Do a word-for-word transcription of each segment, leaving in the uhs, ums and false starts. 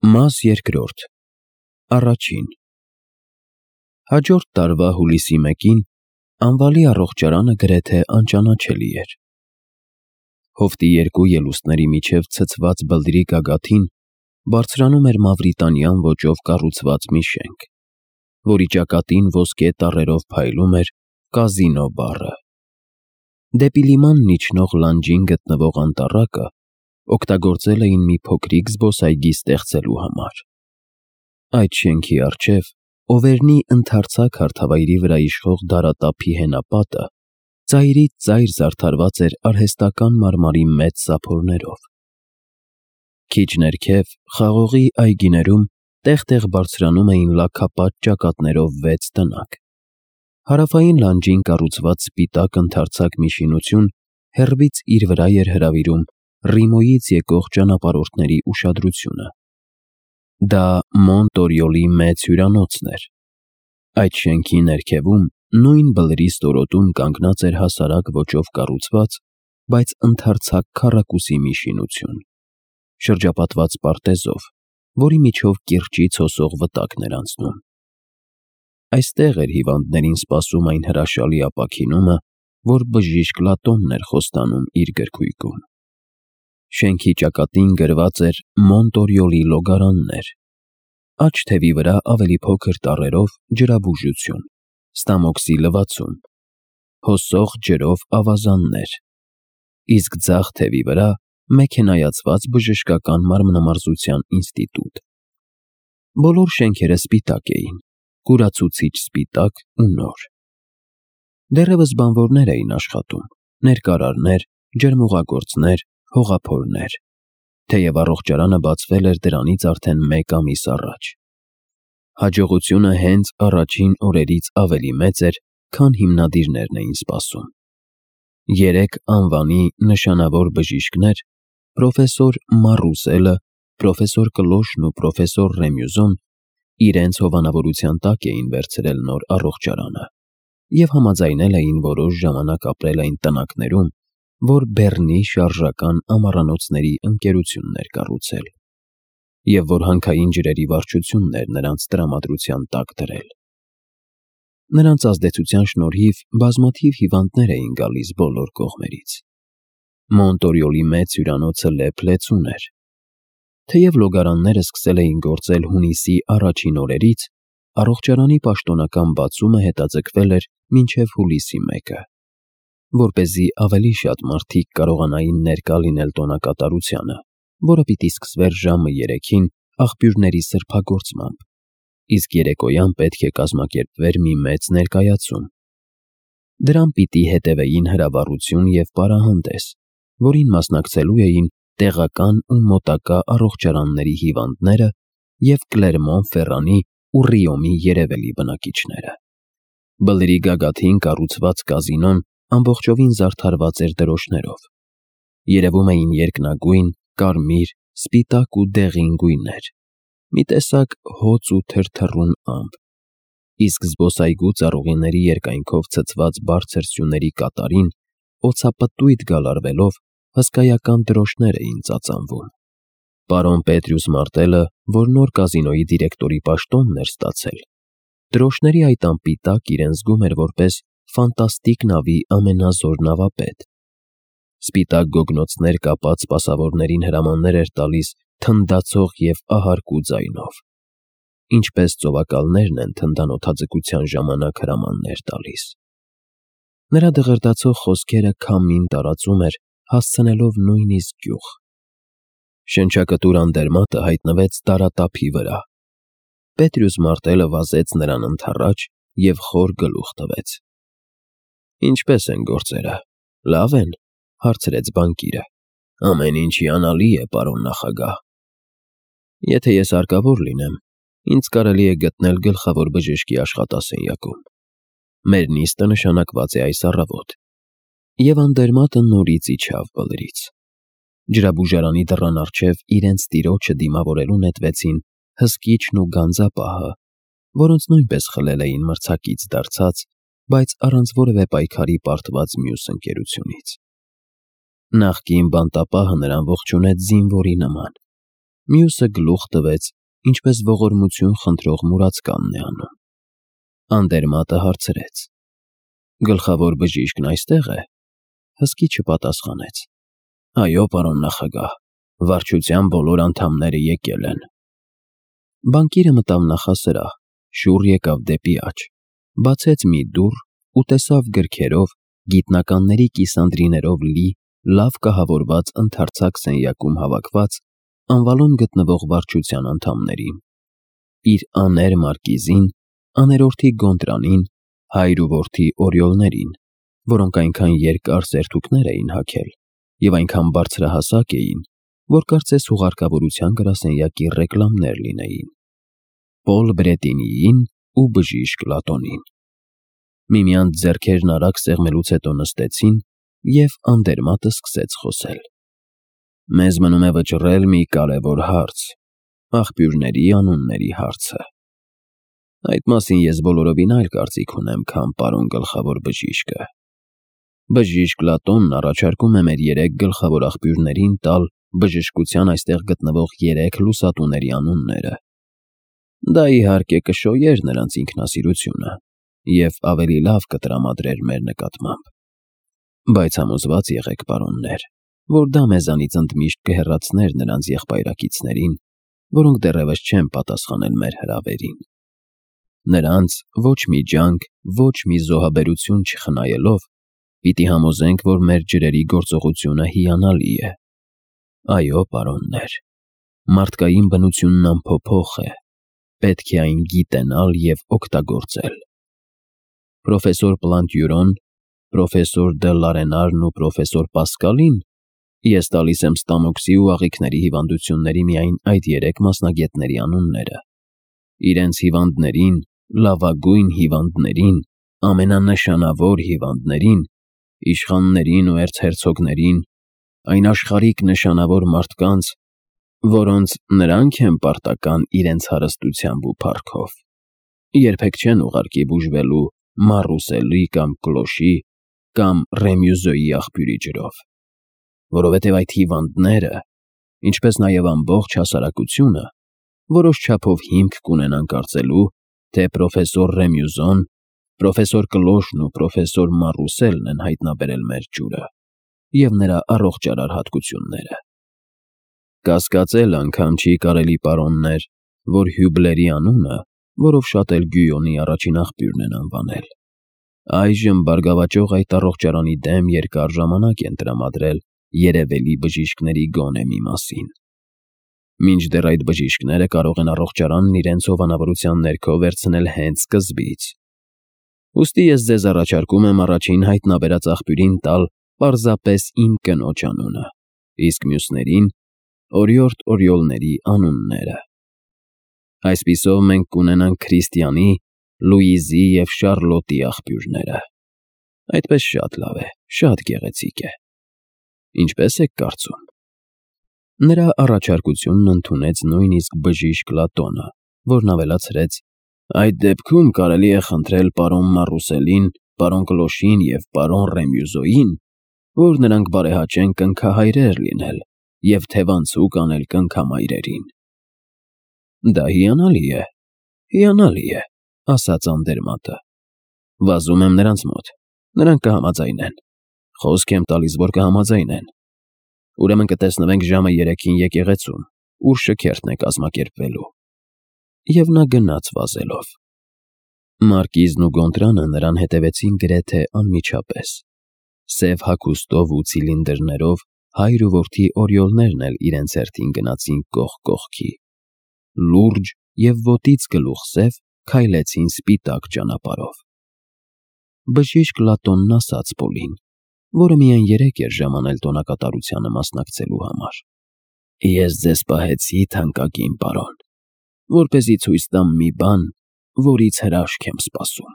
Մաս երկրորդ Առաջին Հաջորդ տարվա հուլիսի մեկին Անվալի առողջարանը գրեթե անճանաչելի էր։ Հովտի երկու ելուստների միջև ցցված բլրի գագաթին բարձրանում էր մավրիտանյան ոճով կառուցված մի շենք, որի ճակատին ոսկե տառերով փայլում էր կազինո բառը։ Դեպի լիմանն իջնող լանջին գտնվող անտառակը օգտագործել էին մի փոքրիկ զբոսայգի ստեղծելու համար։ Այդ շենքի առջև Օվերնի ընդարձակ հարթավայրի վրա իշխող դարատափի հենապատը ծայրից ծայր զարդարված էր արհեստական մարմարի մեծ սափորներով։ Քիչ ներքև, խաղողի այգիներում տեղ-տեղ բարձրանում էին լաքապատ ճակատներով վեց տնակ։ Հարավային լանջին կառուցված սպիտակ ընդարձակ մի շինություն հեռվից իր վրա էր հրավիրում Ռիմոյից եկող ճանապարհորդների ուշադրությունը։ Դա Մոնտորյոլի մեծ հյուրանոցն էր։ Այդ շենքի ներքևում, նույն բլրի ստորոտում կանգնած էր հասարակ ոճով կառուցված, բայց ընդարձակ քառակուսի մի շինություն, շրջապատված պարտեզով, որի միջով կիրճից հոսող վտակն էր անցնում։ Այստեղ էր հիվանդներին սպասում այն հրաշալի ապաքինումը, որ բժիշկ Լատոնն էր խոստանում իր գրքույկում։ Շենքի ճակատին գրված էր Մոնտորյոլի լոգարաններ, աջ թևի վրա ավելի փոքր տառերով ջրաբուժություն, ստամոքսի լվացում, հոսող ջրով ավազաններ, իսկ ձախ թևի վրա մեքենայացված բժշկական մարմնամարզության ինստիտուտ։ Բոլոր շենքերը սպիտակ էին, կուրացուցիչ սպիտակ ու նոր։ Դեռևս բանվորներ էին աշխատում, ներկարարներ, ջրմուղագործներ, հողափորներ, թեև առողջարանը բացվել էր դրանից արդեն մեկ ամիս առաջ։ Հաջողությունը հենց առաջին օրերից ավելի մեծ էր, քան հիմնադիրներն էին սպասում։ Երեք անվանի նշանավոր բժիշկներ՝ պրոֆեսոր Մարուսելը, պրոֆեսոր Կլոշն ու պրոֆեսոր Ռեմյուզոն, իրենց հովանավորության տակ էին վերցրել նոր առողջարանը և համաձայնել էին որոշ ժամանակ ապրել այն տնակներում, որ Բեռնի շարժական ամառանոցների ընկերությունն էր կառուցել, և որ հանքային ջրերի վարչությունն էր նրանց տրամադրության տակ դրել։ Նրանց ազդեցության շնորհիվ բազմաթիվ հիվանդներ էին գալիս բոլոր կողմերից։ Մոնտորյոլի մեծ հյուրանոցը լեփ-լեցուն էր։ Թեև լոգարանները սկսել էին գործել հունիսի առաջին օրերից, առողջարանի պաշտոնական բացումը հետաձգվել էր մինչև հուլիսի մեկը, որպեսզի ավելի շատ մարդիկ կարողանային ներկա լինել տոնակատարությանը, որը պիտի սկսվեր ժամը երեքին աղբյուրների սրբագործմամբ, իսկ երեկոյան պետք է կազմակերպվեր մի մեծ ներկայացում։ Դրան պիտի հետևեին հրավառություն և պարահանդես, որին մասնակցելու էին տեղական ու մոտակա առողջարանների հիվանդները և Կլերմոն-Ֆերրանի ու Ռիոմի երևելի բնակիչները։ Բլրի գագաթին կառուցված կազինոն ամբողջովին զարդարված էր դրոշներով։ Երևում էին երկնագույն, կարմիր, սպիտակ ու դեղին գույներ, մի տեսակ հոծ ու թրթռուն ամպ, իսկ զբոսայգու ծառուղիների երկայնքով ցցված բարձր սյուների կատարին օձապտույտ գալարվելով հսկայական դրոշներ էին ծածանվում։ Պարոն Պետրյուս Մարտելը, որ նոր կազինոյի դիրեկտորի պաշտոնն էր ստացել, դրոշների այդ ամպի տակ իրեն զգում էր որպես ֆանտաստիկ նավի ամենազոր նավապետ։ Սպիտակ գոգնոցներ կապած սպասավորներին հրամաններ էր տալիս թնդացող և ահարկու ձայնով, ինչպես ծովակալներն են թնդանոթաձգության ժամանակ հրամաններ տալիս։ Նրա դղրդացող խոսքերը քամին տարածում էր, հասցնելով նույնիսկ գյուղ։ Շնչակտուր անդերմատը հայտնվեց դարատափի վրա։ Պետրյուս Մարտելը վազեց նրան ընդառաջ և խոր գլուխ տվեց։ «Ինչպե՞ս են գործերը, լավ են», հարցրեց բանկիրը։ «Ամեն ինչ հիանալի է, պարոն նախագահ»։ «Եթե ես հարկավոր լինեմ, ինձ կարելի է գտնել գլխավոր բժշկի աշխատասենյակում։ Մեր նիստը նշանակված է այս առավոտ»։ Եվ անդերմատը նորից իջավ բլրից։ Ջրաբուժարանի դռան առջև իրենց տիրոջը դիմավորելու նետվեցին հսկիչն ու գանձապահը, որոնց նույնպես խլել էին մրցակից դարձած, բայց առանց որևէ պայքարի պարտված մյուս ընկերությունից։ Նախկին բանտապահը նրան ողջունեց զինվորի նման, Մյուսը գլուխ տվեց, ինչպես ողորմություն խնդրող մուրացկանն է անում։ Անդերմատը հարցրեց. «Գլխավոր բժիշկն այստեղ է»։ Հսկի չպատասխանեց։ «Այո, պարոն նախագահ, վարչության բոլոր անդամները եկել են»։ Բանկիրը մտավ նախասրահ, շուռ եկավ դեպի աջ, բացեց մի դուռ ու տեսավ գրքերով, գիտնականների կիսանդրիներով լի, լավ կահավորված ընդարձակ սենյակում հավաքված անվալում գտնվող վարչության անդամներին։ Իր աներ մարկիզին, աներորդի Գոնտրանին, հայր ու որդի Օրիոլներին, որոնք այնքան երկար սերթուքներ էին հագել և այնքան բարձրահասակ էին, որ կարծես հուղարկավորության գրասենյակի ռեկլամներ լինեին։ Պոլ Բրետինիին ու բժիշկ Լատոնին։ Միմյանց ձեռքերն արագ սեղմելուց հետո նստեցին, և Անդերմատը սկսեց խոսել. «Մեզ մնում է վճռել մի կարևոր հարց՝ աղբյուրների անունների հարցը։ Այդ մասին ես բոլորովին այլ կարծիք ունեմ, քան պարոն գլխավոր բժիշկը։ Բժիշկ Լատոնն առաջարկում է մեր երեք գլխավոր աղբյուրներին տալ բժշկության այստեղ գտնվող երեք լուսատուների անունները։ Դա, իհարկե, կշոյեր նրանց ինքնասիրությունը և ավելի լավ կտրամադրեր մեր նկատմամբ։ Բայց համոզված եղեք, պարոններ, որ դա մեզանից ընդմիշտ կհեռացներ նրանց եղբայրակիցներին, որոնք դեռևս չեն պատասխանել մեր հրավերին։ Նրանց ոչ մի ջանք, ոչ մի զոհաբերություն չխնայելով, պիտի համոզենք, որ մեր ջրերի գործողությունը հիանալի է։ Այո, պարոններ, մարդկային բնությունն անփոփոխ է, պետք է այն գիտենալ և օգտագործել։ Պրոֆեսոր Պլանտյուրոն, պրոֆեսոր դը Լարենարն ու պրոֆեսոր Պասկալին ես տալիս եմ ստամոքսի ու աղիքների հիվանդությունների միայն այդ երեք մասնագետների անունները։ Իրենց հիվանդներին, լավագույն հիվանդներին, ամենանշանավոր հիվանդներին, իշխաններին ու էրցհերցոգներին, այն աշխարհիկ նշանավոր մարդկանց, որոնց նրանք են պարտական իրենց հարստությամբ ու փառքով, երբեք չեն ուղարկի բուժվելու Մարուսելի կամ Կլոշի կամ Ռեմյուզոյի աղբյուրի ջրով, որովհետև այդ հիվանդները, ինչպես նաև ամբողջ հասարակությունը, որոշ չափով հիմք կունենան կարծելու, թե պրոֆեսոր Ռեմյուզոն, պրոֆեսոր Կլոշն ու պրոֆեսոր Մարուսելն են հայտնաբերել մեր ջուրը և նրա առողջարար հատկությունները։ Կասկածել անգամ չի կարելի, պարոններ, որ Հյուբլերի անունը, որով շատ էլ Գյույոնի առաջին աղբյուրն են անվանել, այժմ բարգավաճող այդ առողջարանի դեմ երկար ժամանակ են տրամադրել երևելի բժիշկների գոնե մի մասին։ Մինչդեռ այդ բժիշկները կարող են առողջարանն իրենց հովանավորության ներքո վերցնել հենց սկզբից։ Ուստի ես ձեզ առաջարկում եմ առաջին հայտնաբերած աղբյուրին տալ պարզապես իմ կնոջ անունը, իսկ մյուսներին՝ օրիորդ Օրիոլների անունները։ Այսպիսով մենք կունենանք Քրիստիանի, Լուիզի և Շարլոտի աղբյուրները։ Այդպես շատ լավ է, շատ գեղեցիկ է։ Ինչպե՞ս եք կարծում։ Նրա առաջարկությունն ընդունեց նույնիսկ բժիշկ Լատոնը, որն ավելացրեց. «Այդ դեպքում կարելի է խնդրել պարոն Մարուսելին, պարոն Կլոշին և պարոն Ռեմյուզոյին, որ նրանք բարեհաճեն կնքահայրեր լինել և թևանցուկ անել կնքամայրերին»։ Դա հիանալի է, հիանալի է, ասաց Անդերմատը։ Վազում եմ նրանց մոտ, նրանք կհամաձայնեն, խոսք եմ տալիս, որ կհամաձայնեն։ Ուրեմն կտեսնվենք ժամը երեքին եկեղեցում, ուր շքերթն է կազմակերպվելու։ Եվ նա գնաց վազելով։ Մարկիզն ու Գոնտրանը նրան հետևեցին գրեթե անմիջապես։ Սև հագուստով ու ցիլինդրներով հայր ու որդի Օրիոլներն էլ իրենց հերթին գնացին կողք կողքի։ Լուրջ և ոտից գլուխ սև քայլեցին սպիտակ ճանապարհով։ Բժիշկ Լատոնն ասաց Պոլին, որը միայն երեկ էր ժամանել տոնակատարությանը մասնակցելու համար. «Ես ձեզ պահեցի, թանկագին պարոն, որպեսզի ցույց տամ մի բան, որից հրաշք եմ սպասում։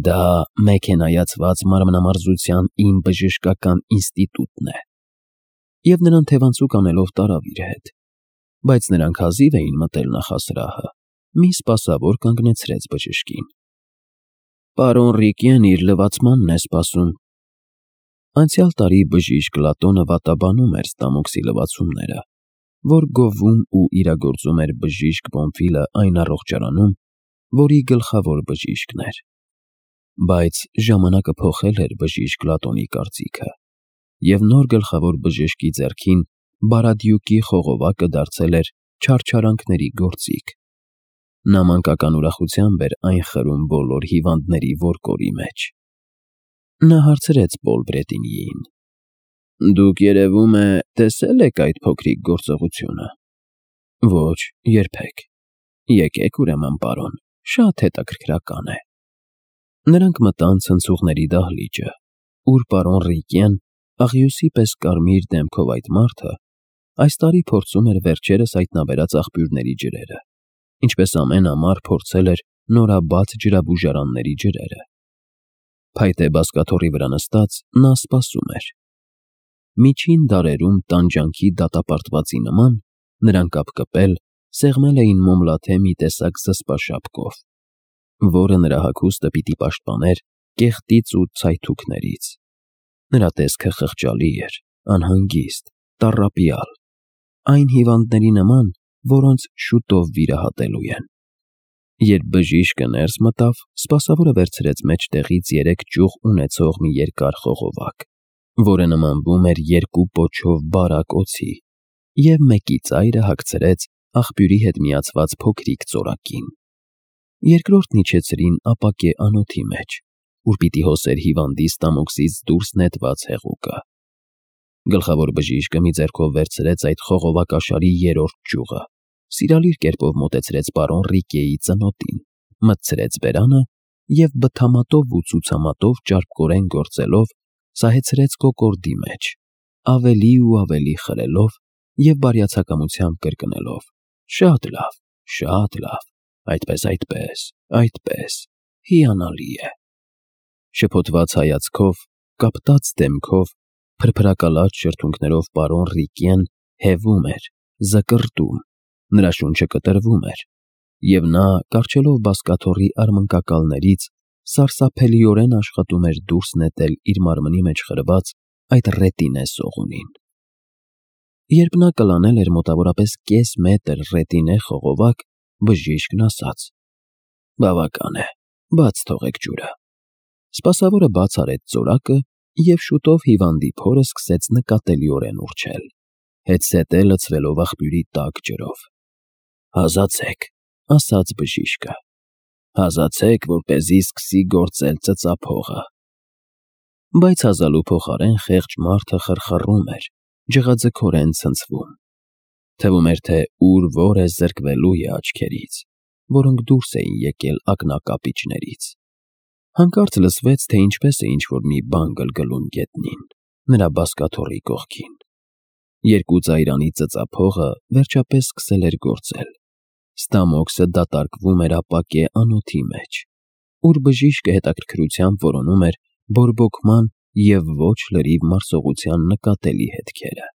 Դա մեքենայացված մարմնամարզության իմ բժշկական ինստիտուտն է»։ Եվ նրան թևանցուկ անելով տարավ իր հետ, բայց նրանք հազիվ էին մտել նախասրահը, մի սպասավոր կանգնեցրեց բժշկին։ «Պարոն Ռիկեն իր լվացմանն է սպասում»։ Անցյալ տարի բժիշկ Լատոնը վատաբանում էր ստամոքսի լվացումները, որ գովում ու իրագործում էր բժիշկ Բոնֆիլը այն առողջարանում, որի գլխավոր բժիշկն էր։ Բայց ժամանակը փոխել էր բժիշկ Լատոնի կարծիքը, և նոր գլխավոր բժշկի ձեռքին Բարադյուկի խողովակը դարձել էր չարչարանքների գործիք։ Նա մանկական ուրախությամբ էր այն խրում բոլոր հիվանդների որկորի մեջ։ Նա հարցրեց Պոլբրետինիին. «Դուք, երևում է, տեսե՞լ եք այդ փոքրիկ գործողությունը»։ «Ոչ, երբեք»։ «Եկեք, ուրեմն, պարոն, շատ հետաքրքրական է»։ Նրանք մտան ցնցուղների դահլիճը, ուր պարոն Ռիկիան, աղյուսի պես կարմիր դեմքով այդ մարդը, այս տարի փորձում էր վերջերս հայտնաբերած աղբյուրների ջրերը, ինչպես ամեն ամառ փորձել էր նորաբաց ջրաբուժարանների ջրերը։ Փայտե բազկաթոռի վրա նստած նա սպասում էր։ Միջին դարերում տանջանքի դատապարտվածի նման նրան կապկպել, սեղմել էին մոմլաթե մի տեսակ զսպաշապկով, որը նրա հագուստը պիտի պաշտպաներ կեղտից ու ցայթուքներից։ Նրա տեսքը խղճալի էր, անհանգիստ, տառապյալ, այն հիվանդների նման, որոնց շուտով վիրահատելու են։ Երբ բժիշկը ներս մտավ, սպասավորը վերցրեց մեջտեղից երեք ճյուղ ունեցող մի երկար խողովակ, որը նմանվում էր երկու պոչով բարակ օձի, և մեկի ծայրը հագցրեց աղբյուրի հետ միացված փոքրիկ ծորակին։ Երկրորդն իջեցրին ապակե անոթի մեջ, ուր պիտի հոսեր հիվանդի ստամոքսից դուրս նետված հեղուկը։ Գլխավոր բժիշկը մի ձեռքով վերցրեց այդ խողովակաշարի երրորդ ճյուղը, սիրալիր կերպով մոտեցրեց պարոն Ռիկեի ծնոտին, մտցրեց բերանը և բթամատով ու ցուցամատով ճարպկորեն գործելով սահեցրեց կոկորդի մեջ, ավելի ու ավելի խրելով և բարյացակամությամբ կրկնելով. «Շատ լավ, շատ լավ, այդպես, այդպես, այդպես, հիանալի է»։ Շփոթված հայացքով, կապտած դեմքով, փրփրակալած շրթունքներով պարոն Ռիկիան հևում էր, զկռտում, նրա շունչը կտրվում էր, և նա, կառչելով բազկաթոռի արմնկակալներից, սարսափելիորեն աշխատում էր դուրս նետել իր մարմնի մեջ խրված այդ ռետինե սողունին։ Երբ նա կլանել էր մոտավորապես կես մետր ռետինե խողովակ, բժիշկն ասաց. «Բավական է, բաց թողեք ջուրը»։ Սպասավորը բաց արեց ծորակը և շուտով հիվանդի փորը սկսեց նկատելիորեն ուռչել, հետզհետե լցվելով աղբյուրի տաք ջրով։ «Հազացեք», ասաց բժիշկը, «հազացեք, որպեսզի սկսի գործել ծծափողը»։ Բայց հազալու փոխարեն խեղճ մարդը խռխռում էր, ջղաձգորեն ցնցվում։ Թվում էր, թե ուր որ է զրկվելու է աչքերից, որոնք դուրս էին եկել ակնակապիճներից։ Հանկարծ լսվեց, թե ինչպես է ինչ-որ մի բան գլգլում գետնին, նրա բազկաթոռի կողքին։ Երկու ծայրանի ծծափողը վերջապես սկսել էր գործել։ Ստամոքսը դատարկվում էր ապակե անոթի մեջ, ուր բժիշկը հետաքրքրությամբ որոնում էր բորբոքման և ոչ լրիվ մարսողության նկատելի հետքերը։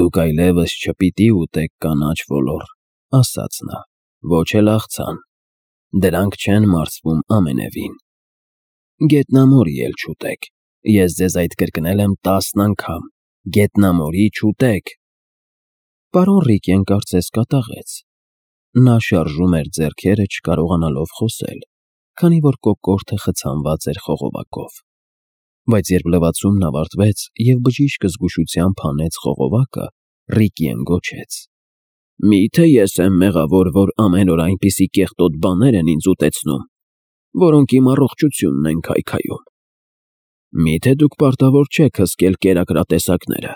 «Դուք այլևս չպիտի ուտեք կանաչ ոլոր», ասաց նա, «ոչ էլ աղցան, դրանք չեն մարսվում ամենևին։ Գետնամորի էլ չուտեք, ես ձեզ այդ կրկնել եմ տասն անգամ, գետնամորի չուտեք»։ Պարոն Ռիկեն կարծես կատաղեց։ Նա շարժում էր ձեռքերը, չկարողանալով խոսել, քանի որ կոկորդը խցանված էր խողովակով։ Բայց երբ լվացումն ավարտվեց և բժիշկը զգուշությամբ հանեց խողովակը, Ռիկիեն գոչեց. «Մի՞թե ես եմ մեղավոր, որ ամեն օր այնպիսի կեղտոտ բաներ են ինձ ուտեցնում, որոնք իմ առողջությունն են քայքայում։ Մի՞թե դուք պարտավոր չեք հսկել կերակրատեսակները։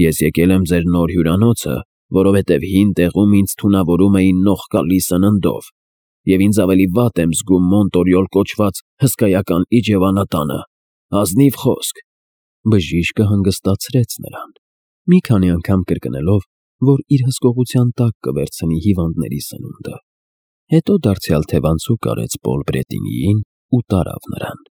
Ես եկել եմ ձեր նոր հյուրանոցը, որովհետև հին տեղում ինձ թունավորում էին նողկալի սննդով, և ինձ ավելի վատ եմ զգում Մոնտորյոլ կոչված հսկայական իջևանատանը, ազնիվ խոսք»։ Բժիշկը հանգստացրեց նրան, մի քանի անգամ կրկնելով, որ իր հսկողության տակ կվերցնի հիվանդների սնունդը, հետո դարձյալ թևանցուկ արեց Պոլբրետինիին ու տարավ նրան։